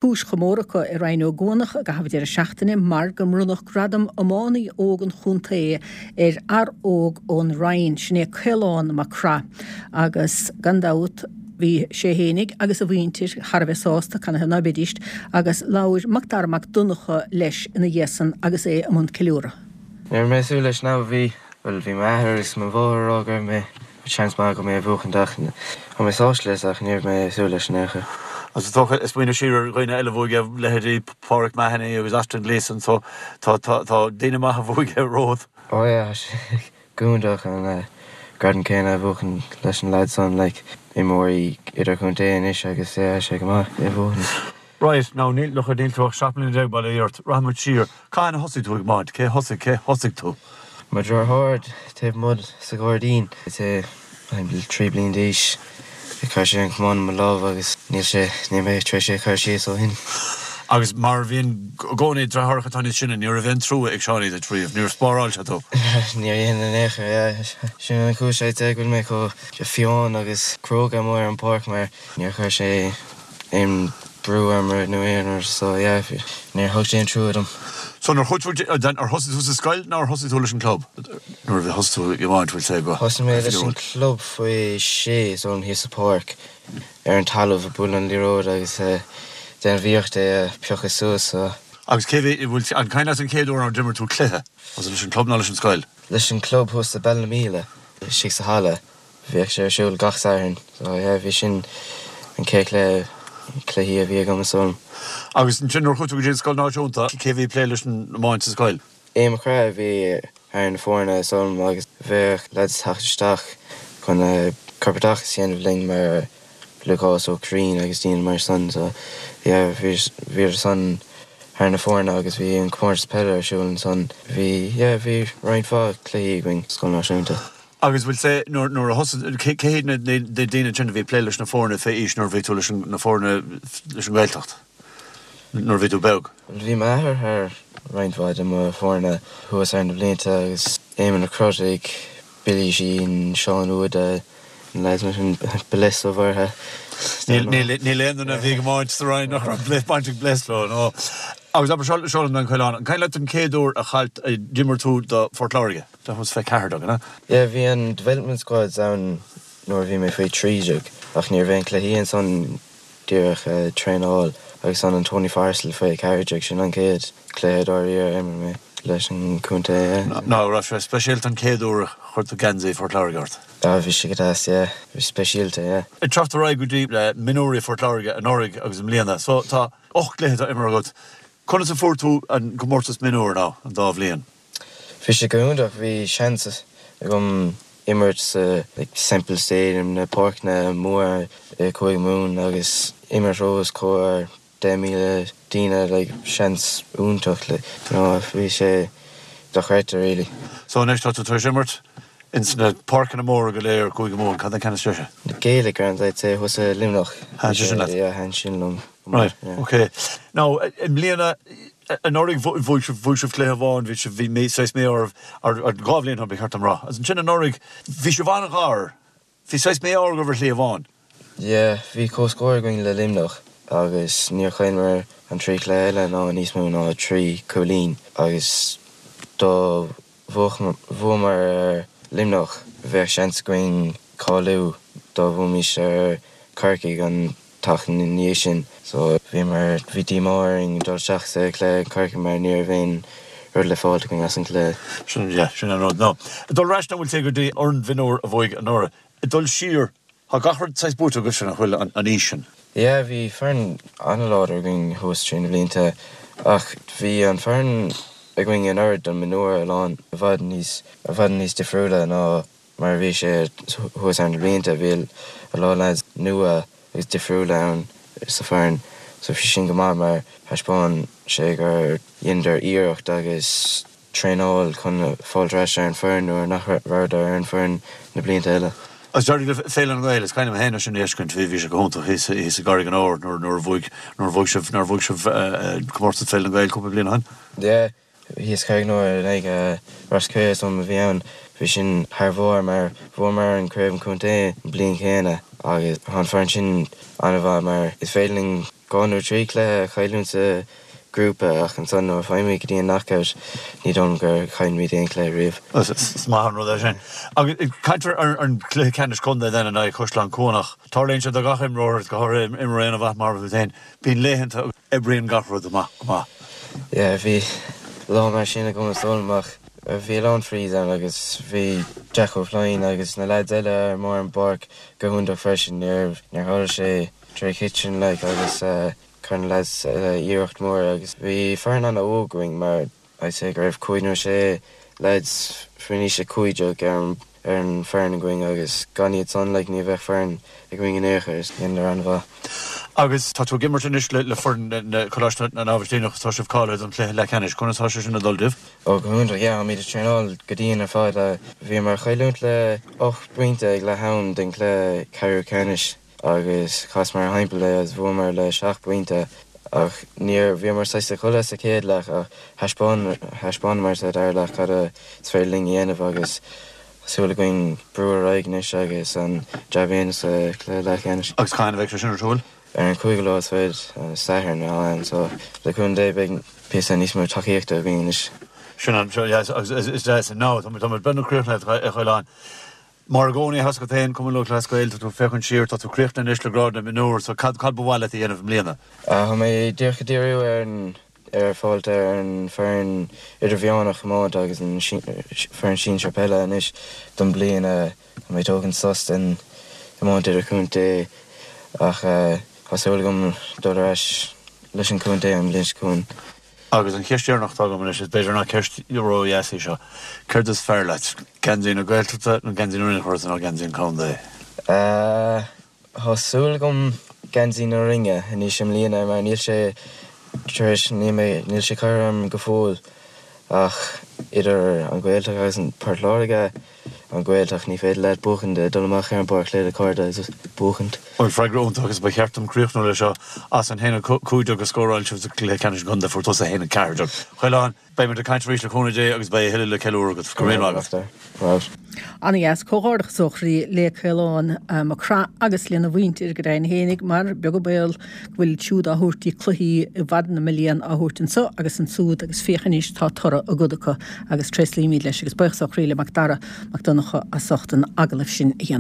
Cúis chomóradh acu i Rinn Ó gCuanach i gcaitheamh an deireadh seachtaine mar go mbronnadh gradam iománaí óg an chontae ar fhear óg ón Rinn, sin é Caolán Mac Craith agus gan dabht bhí sé fhéinig agus a mhuintir thar a bheith sásta, canathaobh ná beidíst, agus labhair Macdara Mac Donncha leis ina dhiaidh san agus é i mbun ceiliúradh. Ní raibh mé ag súil leis now, bhí, bhuel bhí m'athair agus mo mháthair ag rá go raibh mé Seans maith agam é a bhuachaint ach tá mé sásta leis ach ní raibh mé ag súil leis in aon chor. Agus is dócha, ag smaoineamh siar ar dhaoine eile a bhuaigh é, leithéidí Páraic Mahony agus Austin Gleeson, so tá tá daoine maithe a bhuaigh é romhat. Oh yeah, tá sé go hiontach an gradam céanna a bhuachan leis na lads san, like, imreoirí idirchontae anois agus yeah, tá sé go maith é a bhuachan. Right, now níl, look, níl tú ach 17 mbliana bail ó Dhia ort, rachaidh muid siar. Cathain a thosaigh tú ag iomáint? Cé thosaigh, cé thosaigh tú? Mo dheartháir taobh amuigh sa ghairdín. Is é 3 bliain d'aois. Chuir sé an camán i mo lámh agus níl sé, níl mé tar éis é a chur síos ó shin. Agus mar a bhíonn i gcónaí, deartháireacha atá níos sine, ní raibh aon trua ag Seánie duit riamh, níor spáráil sé tú. Níor dhein in aon chor, yeah. Sin an chúis I'd say go bhfuil mé chomh fiáin agus cróga amuigh ar an bpáirc mar níor chuir sé aon brú orm nó aon rud so yeah níor thug sé aon trua dom. So nuair chuaigh tú, ar thosaigh tú sa scoil nó ar thosaigh tú leis an club nuair a thosaigh tú ag iomáint bhfuil sé go Thosaigh mé leis an club faoi sé so thíos sa pháirc ar an talamh ag bualadh an liathróid agus déanamh iarracht é a phiocadh suas so. Agus cé bhí, bhfuil, an cuimhin leat an chéad uair a d'imir tú cluiche? Was it leis an club nó leis an scoil? Leis an club thuas sa Ballynamila istigh sa halla. Bhíodh sé ar siúl gach Satharn so yeah bhí sin an chéad chluiche, cluichí a bhí agam is dóigh liom. Agus ansin nuair a chuaigh tú go dtí an scoil náisiúnta, cé bhí ag plé leis an iomáint sa scoil? Aodh Mac Craith a bhí thar na foirne is dóigh liom agus bheadh lads ag teacht isteach chun corpoideachas a dhéanamh linn mar Lúcás Ó Curraoin agus daoine mar san so yeah bhíodar san thar na foirne agus bhí an comórtas peile ar siúl ansan. Bhí yeah bhí roinnt mhaith cluichí againn sa scoil náisiúnta. Agus bhfuil sé, nuair, nuair a thosaigh, cé, cé hiad na, na, na daoine ansin a bhí ag plé leis na foirne fé aois nuair a bhí tú leis an, na foirne leis an nGaeltacht, nuair a bhí tú beag? Bhuel bhí m'athair thar roinnt mhaith de mo foirne thuas ar na blianta agus Éamonn Ó Crotaigh, Billy Sheehan, Seán Uada, na lads mar sin, Bless Ó Mhuirthe. Níl, níl, níl aon duine a bhí ag iomáint sa Rinn nach raibh Bless, baint ag Bless leo, no. Agus abair, seo, seo liom an Coileán, an cuimhin leat an chéad uair a chaill, a d'imir tú do Phort Láirge? That was fé 14, an ea? Yeah, bhí an development squads ann nuair a bhí mé faoi 13 ach ní raibh aon cluichí ansan, díreach traenáil agus ansan an Tony Forristal faoi 14, sin an chéad cluiche dáiríre a imir mé leis an chontae, yeah. Now, raibh sé speisialta an chéad uair a chuir tú geansaí Phort Láirge ort? Ah, bhí sé go deas, yeah. Bhí sé speisialta, yeah. Ag teacht ar aghaidh go dtí mionúirí Phort Láirge anuraidh agus i mbliana, so tá 8 gcluiche imeartha agat. Conas a fuair tú an comórtas mionúir now, an dá bhliain? Bhí sé go hiontach, bhí seans agam imirt sa like Semple Stadium, na páirceanna móra i Cúige Mumhan agus imirt os comhair 10,000 daoine, like seans iontach like you know bhí sé dochreidte really. So anois tá tú tar éis imirt ins na páirceanna móra go léir Cúige Mumhan, cad é an ceann is deise? Na Gaelic Grounds I'd say thuas i Luimneach. Thaitin sé sin leat? Yeah, thaitin sin liom. Right, ok. Now, i mbliana, anuraidh bhuaigh sibh, bhuaigh sibh cluiche amháin, bhí sibh, bhí mí, saghas mí-ádh oraibh, ar, ar dhá bhliain ó shin, ba cheart dom rá. Agus ansin anuraidh, bhí sibh an-ghar, bhí saghas mí-ádh agaibh ar shlí amháin. Yeah, bhí comhscór againn le Luimneach agus níor chailleamar an trí chluiche eile ná níos mó ná trí chúilín agus dá bhuamar ar Luimneach bheadh seans againn cáiliú dá bhuaimis ar Corcaigh an tseachtain ina dhiaidh sin so bhíomar, bhí díomá orainn dul isteach sa chluiche Corcaigh mar ní raibh aon rud le fáilt againn as an gcluiche. Sin, yeah, sin an rud. Now, ag dul ar ais now bhfuil sé go dtí an fhoireann mhionúir a bhuaigh anuraidh, ag dul siar, tá gach rud saghas buaite agaibhse nach bhfuil an aois sin? Yeah, bhí foireann an-láidir againn thuas trí na blianta ach bhí an foireann againn anuraidh don mionúir a lán i bhfad níos, i bhfad níos difriúla ná Mar a bhí sé thuas ar na blianta, bhí a lán lads nua agus difriúla ann sa foireann so bhí sin go maith mar thaispeáin sé gur dheineadar iarracht agus traenáil chun fáilt ar ais ar an foireann nuair nach rabhadar ar an foireann na blianta eile. Agus d'éirigh libh Féile na nGael, is cuimhin liom féin é sin a fheiscint, bhí bhí sé go hiontach thíos thíos i gCarraig an Óir nuair nuair a bhuaigh nuair a bhuaigh sibh nuair a bhuaigh sibh comórtas Féile na nGael cúpla bliain ó shin. Yeah. Thíos Carraig an Óir in aghaidh Ros Cré is dóigh liom a bhí ann. Bhí sin thar bharr mar bhuamar an craobh an chontae an bliain chéanna agus tá an foireann sin an-mhaith mar is féidir linn. 2 nó 3 cluiche a chailliúint sa ghrúpa ach ansan nuair a faighimid go dtí an knockout ní dóigh liom gur chaill muid aon chluiche riamh. Is maith an rud é sin. Agus caint ar an gcluiche ceannais contae then in aghaidh Chaisleán Cuanach. Tarlaíonn sé do gach imreoir, go háirithe imreoir an-mhaith mar tú féin. Bíonn laethanta a oibríonn gach rud amach go maith. Yeah, bhí lá mar sin agam is dóigh liom ach bhí a lán frees ann agus bhí Jack Ó Floinn agus na lads eile ar an bpáirc go hiontach freisin. Níor tharla sé tré chiteann like agus chuir na lads eile iarracht mór agus bhí foireann an-óg againn mar I'd say go raibh cúig nó sé lads faoin aois 15 ar an ar an foireann againn agus gan iad san like ní bheadh foireann againn in aon chor is dheineadar an-mhaith. Agus tá tú ag imirt anois le foireann na Coláiste na nAibhistíneach tá sibh cáilithe don chluiche leathcheannais. Conas tá sé sin ag dul daoibh? Ó go hiontach yeah táimid ag traenáil go dian ar fad. Bhíomar ag cailliúint le 8 bpointe ag leath am den chluiche ceathrú ceannais. agus chasamar ar thimpeall é agus bhuamar le 7 bpointe ach níor, bhíomar saghas ag codladh sa chéad leath ach thaispeáin, thaispeánamar sa dara leath cad is féidir linn a dhéanamh agus tá súil againn brú ar aghaidh anois agus an jab a dhéanamh sa chluiche leathcheannais. Agus cathain a bheidh sé sin ar siúl? Ar an cúigiú lá is fichead, Satharn, ann so le cúnamh Dé beidh píosa níos mó tacaíochta againn anois. Sin an, yes, agus is deas, now, tá muid beagnach críochnaithe a Chaoláin. Mar i gcónaí, tá a fhios agat féin, Cumann Lúthchleas Gael, tá tú ag féachaint siar, tá tú críochnaithe anois le grád na mionúr, so cad, cad ba mhaith leat a dhéanamh i mbliana? Tá mé díreach ag díriú ar an, ar fáilt ar an foireann idirmheánach iomáint agus an foireann sinsir peile anois don bliain. Tá mé ag tógaint sos den iomáint idirchontae ach tá súil agam dul ar ais leis an chontae an bhliain seo chugainn. Agus an cheist dheireanach atá agam anois, is b'fhéidir nach ceist ró-dheas í seo, céard is fearr leat, geansaí na Gaeltachta nó geansaí na Rinne nó geansaí an chontae? Tá súil agam geansaí na Rinne anois i mbliana mar níl sé tar éis, níl mé, níl sé curtha orm go fóill ach idir an Ghaeltacht agus an Port Láirge, An Ghaeltacht, ní féidir leat buachaint, dul amach ar an bpáirc le do chairde agus buachaint. Bhuel, freagra iontach agus ba cheart dom críochnú leis seo. As an 1-15 a scóráil sibh sa gcluiche ceannais an chontae, fuair tusa 1-14. Chaoláin, beidh muid ag caint arís le cúnamh Dé agus beidh a thuilleadh le ceiliúradh agat. Go raibh maith agat. Ana-dheas. Comhghairdeachas ó chroí le Caolán Mac Craith agus lena mhuintir go deimhin fhéinig mar beag an baol go bhfuil iad siúd á thabhairt dtí cluichí i bhfad na mblian á thabhairt anso agus ansúd agus féach anois tá toradh a gcuid acu agus tréaslaímid leis agus buíochas ó chroí le Mac Dara Mac Donncha as ucht an agallamh sin a dhéanamh.